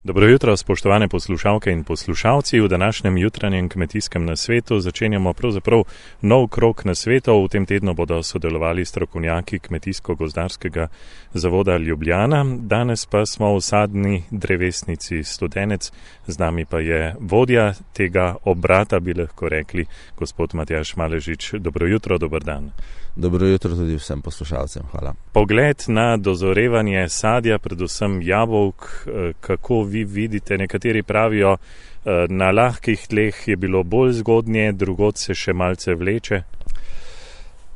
Dobro jutro, spoštovane poslušalke in poslušalci. V današnjem jutranjem kmetijskem nasvetu začenjamo pravzaprav nov krog nasvetov. V tem tednu bodo sodelovali strokovnjaki Kmetijsko-gozdarskega zavoda Ljubljana. Danes pa smo v sadni drevesnici Studenec. Z nami pa je vodja tega obrata, bi lahko rekli, gospod Matjaž Maležič. Dobro jutro, dober dan. Dobro jutro tudi vsem poslušalcem, hvala. Pogled na dozorevanje sadja, predvsem jabolk, kako vi vidite, nekateri pravijo, na lahkih tleh je bilo bolj zgodnje, drugod se še malce vleče.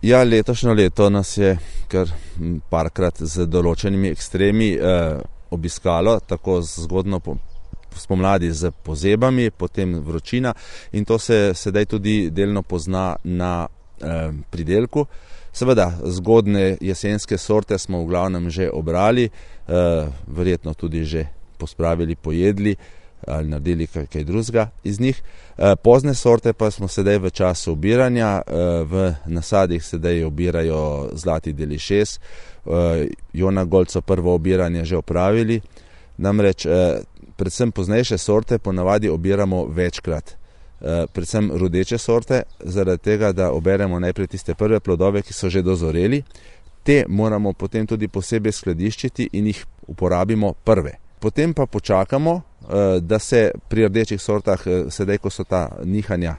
Ja, letošnjo leto nas je kar parkrat z določenimi ekstremi obiskalo, tako zgodno spomladi z pozebami, potem vročina in to se sedaj tudi delno pozna na pridelku. Seveda, zgodne jesenske sorte smo v glavnem že obrali, verjetno tudi že pospravili, pojedli ali naredili kaj drugega iz njih. Pozne sorte pa smo sedaj v času obiranja, v nasadih sedaj obirajo Zlati Delišes, Jona Gold so prvo obiranje že opravili, namreč predvsem poznejše sorte ponavadi obiramo večkrat. Predvsem rodeče sorte, zaradi tega, da oberemo najprej tiste prve plodove, ki so že dozoreli. Te moramo potem tudi posebej skladiščiti in jih uporabimo prve. Potem pa počakamo, da se pri rdečih sortah, sedaj ko so ta nihanja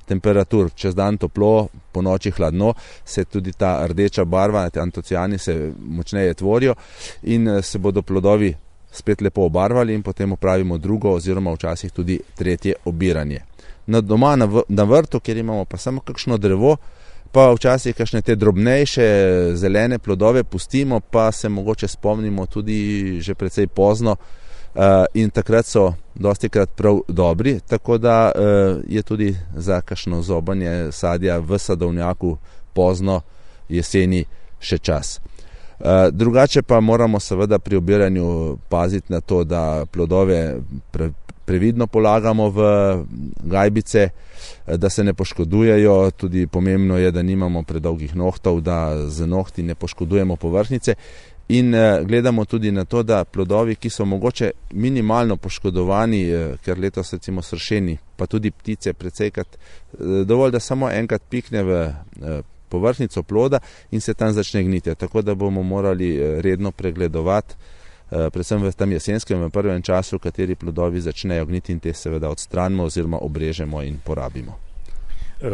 temperatur, čez dan toplo, po noči hladno, se tudi ta rdeča barva, antociani se močneje tvorijo in se bodo plodovi spet lepo obarvali in potem opravimo drugo oziroma včasih tudi tretje obiranje. Doma na vrtu, kjer imamo pa samo kakšno drevo, pa včasih kakšne te drobnejše zelene plodove pustimo, pa se mogoče spomnimo tudi že precej pozno in takrat so dostikrat prav dobri, tako da je tudi za kakšno zobanje sadja v sadovnjaku pozno jeseni še čas. Drugače pa moramo seveda pri obiranju paziti na to, da plodove previdno polagamo v gajbice, da se ne poškodujejo. Tudi pomembno je, da nimamo predolgih nohtov, da z nohti ne poškodujemo površnice in gledamo tudi na to, da plodovi, ki so mogoče minimalno poškodovani, ker letos recimo sršeni, pa tudi ptice precejkrat, dovolj, da samo enkrat pikne v površnico ploda in se tam začne gniti. Tako da bomo morali redno pregledovati, predvsem v tem jesenskem, v prvem času, kateri plodovi začnejo gniti in te seveda odstranimo oziroma obrežemo in porabimo.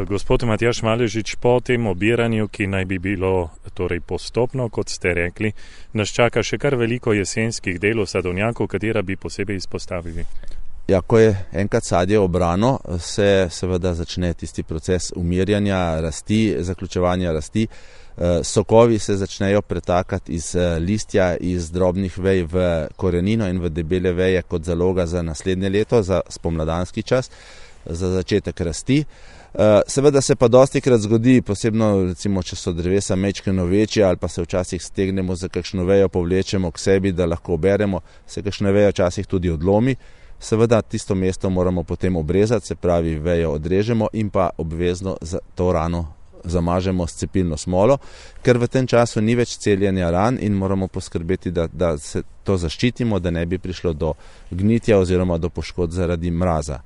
Gospod Matjaž Maležič, po tem obiranju, ki naj bi bilo torej postopno, kot ste rekli, nas čaka še kar veliko jesenskih delov sadovnjakov, katera bi posebej izpostavili. Ja, ko je enkrat sadje obrano, se seveda začne tisti proces umirjanja rasti, zaključevanja rasti. Sokovi se začnejo pretakati iz listja, iz drobnih vej v korenino in v debele veje kot zaloga za naslednje leto, za spomladanski čas, za začetek rasti. Seveda se pa dostikrat zgodi, posebno recimo, če so drevesa majčkeno večja ali pa se včasih stegnemo za kakšno vejo, povlečemo k sebi, da lahko oberemo, se kakšna veja včasih tudi odlomi. Seveda tisto mesto moramo potem obrezati, se pravi vejo odrežemo in pa obvezno za to rano zamažemo s cepilno smolo, ker v tem času ni več celjenja ran in moramo poskrbeti, da se to zaščitimo, da ne bi prišlo do gnitja oziroma do poškodb zaradi mraza.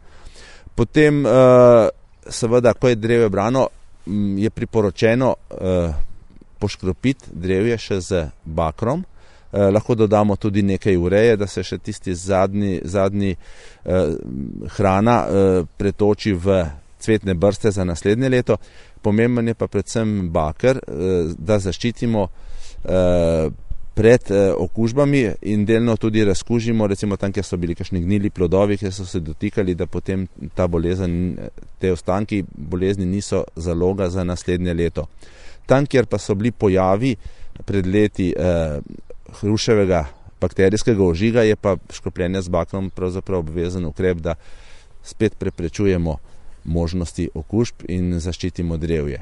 Potem seveda, ko je drevje brano, je priporočeno poškropiti drevje še z bakrom. Lahko dodamo tudi nekaj ureje, da se še tisti zadnji hrana pretoči v cvetne brste za naslednje leto. Pomemben je pa predvsem baker, da zaščitimo pred okužbami in delno tudi razkužimo, recimo tam, kjer so bili kakšni gnili plodovi, kjer so se dotikali, da potem ta bolezen, te ostanki bolezni niso zaloga za naslednje leto. Tam, kjer pa so bili pojavi pred leti hruševega bakterijskega ožiga, je pa škropljenje z bakrom pravzaprav obvezen ukrep, da spet preprečujemo možnosti okužb in zaščitimo drevje.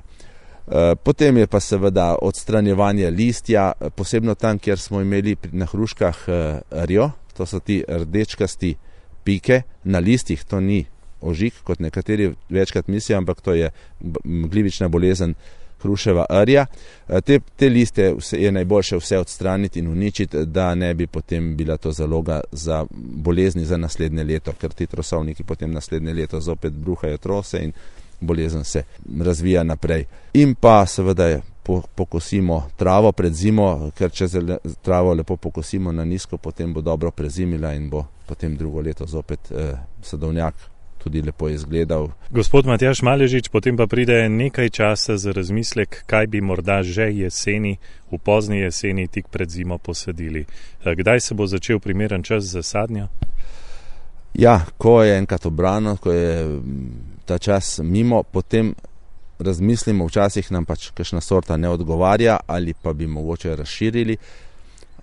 Potem je pa seveda odstranjevanje listja, posebno tam, kjer smo imeli na hruškah rjo, to so ti rdečkasti pike na listih, to ni ožig, kot nekateri večkrat mislijo, ampak to je glivična bolezen hruševa rja. Te liste je najboljše vse odstraniti in uničiti, da ne bi potem bila to zaloga za bolezni za naslednje leto, ker ti trosovniki potem naslednje leto zopet bruhajo trose in bolezen se razvija naprej. In pa seveda pokosimo travo pred zimo, ker če travo lepo pokosimo na nizko, potem bo dobro prezimila in bo potem drugo leto zopet sadovnjak tudi lepo izgledal. Gospod Matjaž Maležič, potem pa pride nekaj časa za razmislek, kaj bi morda že jeseni, v pozni jeseni, tik pred zimo posadili. Kdaj se bo začel primeren čas za sadnjo? Ja, ko je enkrat obrano, ko je ta čas mimo, potem razmislimo, včasih nam pač kakšna sorta ne odgovarja ali pa bi mogoče razširili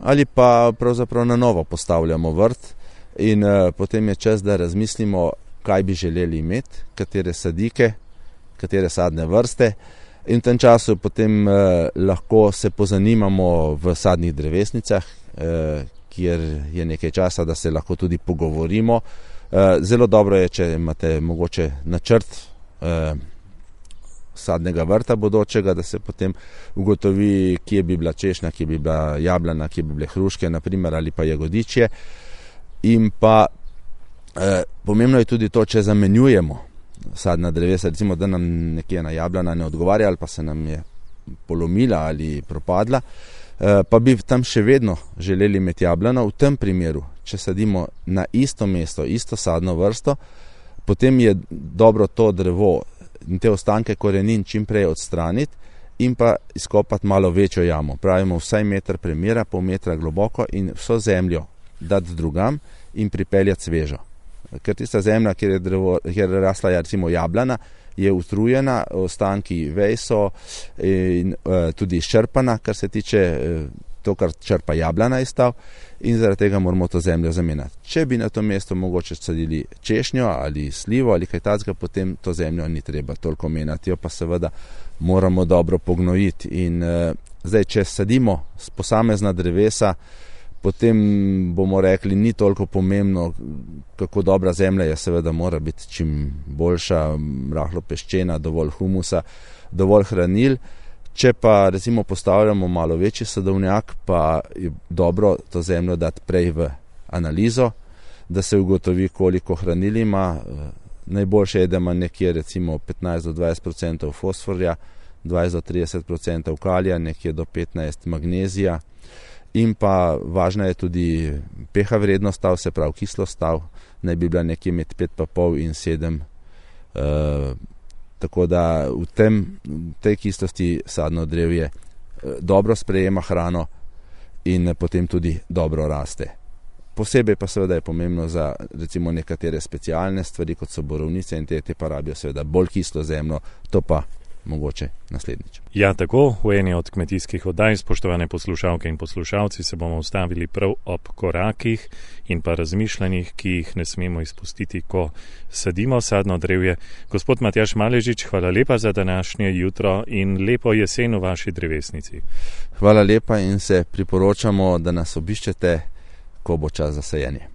ali pa pravzaprav na novo postavljamo vrt in potem je čas, da razmislimo, kaj bi želeli imeti, katere sadike, katere sadne vrste in v tem času potem lahko se pozanimamo v sadnih drevesnicah, kjer je nekaj časa, da se lahko tudi pogovorimo. Zelo dobro je, če imate mogoče načrt sadnega vrta bodočega, da se potem ugotovi, kje bi bila češnja, kje bi bila jablana, kje bi bile hruške, naprimer, ali pa jagodičje. In pa pomembno je tudi to, če zamenjujemo sadna drevesa, recimo, da nam nekje ena jablana ne odgovarja ali pa se nam je polomila ali propadla, pa bi tam še vedno želeli imeti jablano. V tem primeru, če sadimo na isto mesto, isto sadno vrsto, potem je dobro to drevo in te ostanke korenin čim prej odstraniti in pa izkopati malo večjo jamo. Pravimo vsaj meter premera, pol metra globoko in vso zemljo dati drugam in pripeljati svežo. Ker tista zemlja, kjer je rasla recimo jablana, je utrujena, ostanki vej so in tudi izčrpana, kar se tiče to, kar črpa jablana iz stav, in zaradi tega moramo to zemljo zamenjati. Če bi na to mesto mogoče sadili češnjo ali slivo ali kaj takega, potem to zemljo ni treba toliko menjati, jo pa seveda moramo dobro pognojiti. In zdaj, če sadimo posamezna drevesa, potem bomo rekli, ni toliko pomembno, kako dobra zemlja je, seveda mora biti čim boljša, rahlo peščena, dovolj humusa, dovolj hranil. Če pa recimo postavljamo malo večji sadovnjak, pa je dobro to zemljo dati prej v analizo, da se ugotovi, koliko hranil ima. Najboljše je, da ima nekje recimo 15 do 20% fosforja, 20 do 30% kalija, nekje do 15% magnezija. In pa važna je tudi pH vrednost stav, se pravi kislost stav, naj bi bila nekje med 5,5 in 7. Tako da v tej kislosti sadno drevje dobro sprejema hrano in potem tudi dobro raste. Posebej pa seveda je pomembno za recimo nekatere specialne stvari, kot so borovnice in te pa rabijo seveda bolj kislo zemljo, to pa mogoče naslednjič. Ja, tako, v eni od kmetijskih oddaj, spoštovane poslušalke in poslušalci, se bomo ustavili prav ob korakih in pa razmišljanjih, ki jih ne smemo izpustiti, ko sadimo sadno drevje. Gospod Matjaž Maležič, hvala lepa za današnje jutro in lepo jesen v vaši drevesnici. Hvala lepa in se priporočamo, da nas obiščete, ko bo čas za sajenje.